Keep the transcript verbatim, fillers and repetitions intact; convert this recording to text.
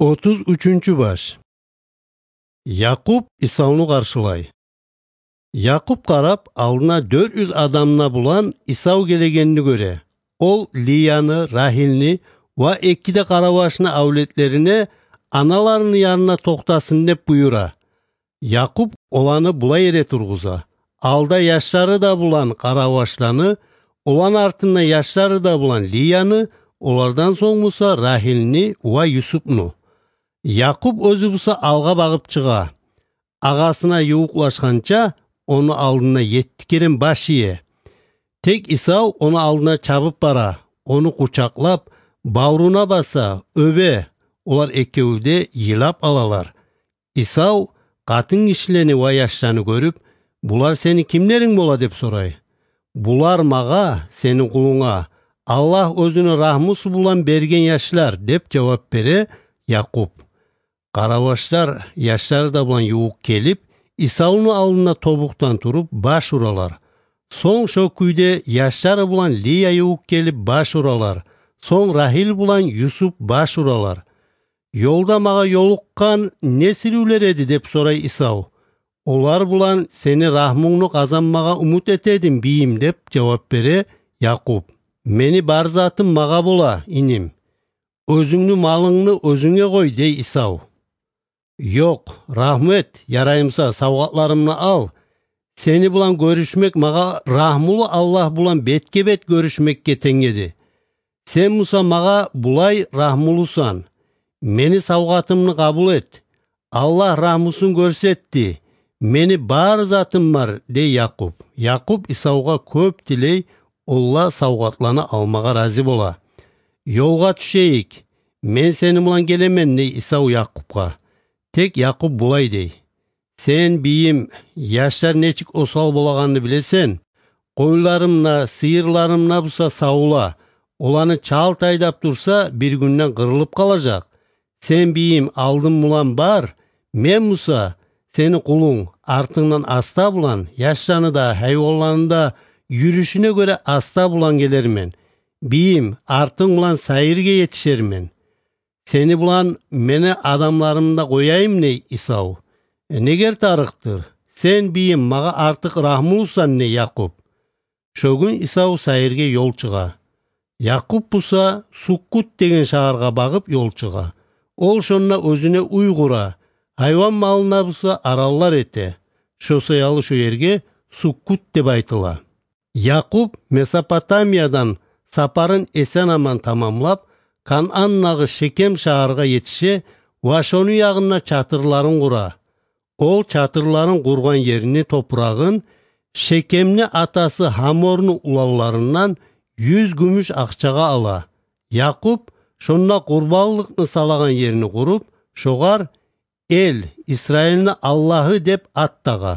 Отуз уьчюнчю баш. Якъуб Исавну къаршылай. Якъуб къарап, алдына дёрт юз адамына булан Исав гелегенни гёре. Ол Лияны, Рагьилни ва эки де къаравашны авлетлерине аналарыны янына токътасын деп буюра. Якъуб оланы булай эре тургъуза: алда яшлары да булан къаравашланы, оланы артында яшлары да булан Лияны, олардан сонг буса Рагьилни ва Юсупну. Якъуб оьзю буса алгъа багъып чыгъа. Агъасына ювукълашгъанча, ону алдына етти керен баш ие. Тек Исав ону алдына чабып бара, ону къучакълап, бавруна баса, оьбе. Олар экеви де йылап алалар. Исав къатынгишилени ва яшланы гёрюп: «Булар сени кимлеринг бола?» — деп сорай. «Булар магъа, сени къулунга, Аллагь оьзюню рагьмусу булан берген яшлар», — деп жавап бере Якъуб. Къаравашлар яшлары да булан ювукъ гелип, Исавну алдына тобукъдан туруп баш уралар. Сонг шо кюйде яшлары булан Лия ювукъ гелип баш уралар. Сонг Рагьил булан Юсуп баш уралар. «Ёлда магъа ёлукъгъан не сиривлер эди?» — деп сорай Исав. «Олар булан сени рагьмунгну къазанмагъа умут этедим, бийим», — деп жавап бере Якъуб. «Мени бар затым магъа бола, иним. Оьзюнгню малынгны оьзюнге къой», — дей Исав. «Ёкъ, рагьму эт, ярай буса, савгъатларымны ал. Сени булан гёрюшмек магъа рагьмулу Аллагь булан бетге-бет гёрюшмекге тенг эди. Сен буса магъа булай рагьмулусан. Мени савгъатымны къабул эт. Аллагь рагьмусун гёрсетди. Мени бар затым бар», — дей Якъуб. Якъуб Исавгъа кёп тилей, олла савгъатланы алмагъа рази бола. «Ёлгъа тюшейик. Мен сени булан гелемен», — дей Исав Якъубгъа. Тек Якъуб булай дей: «Сен, бийим, яшлар нечик осал болагъанны билесен. Къойларым да, сыйырларым да буса савла. Оланы чалт айдап турса, бир гюнден къырылып къалажакъ. Сен, бийим, алдым булан бар, мен буса, сени къулунг, артынгдан аста булан, яшланы да, гьайванланы да юрюшюне гёре аста булан гелермен. Бийим, артынг булан сайыргъа етишермен. Сени булан мени адамларымны да къояйым», — дей Исав. «Э, негер тарыкъдыр? Сен, бийим, магъа артыкъ рагьмулусан», — дей Якъуб. Шо гюн Исав сайыргъа ёл чыгъа. Якъуб буса Суккут деген шагьаргъа багъып ёл чыгъа. Ол шонда оьзюне уьй къура, гьайван малына буса араллар эте. Шо саялы шо ерге Суккут деп айтыла. Якъуб Месопотамиядан сапарын эсен-аман тамамлап, Канаандагъы Шекем шагьаргъа етише ва шону ягъында чатырларын къура. Ол чатырларын къургъан ерни топурагъын Шекемни атасы Гьаморну уланларындан юз гюмюш акъчагъа ала. Якъуб шонда къурбанлыкъны салагъан ерни къуруп, шогъар «Эл, Исраилни Аллагьы» деп ат тагъа.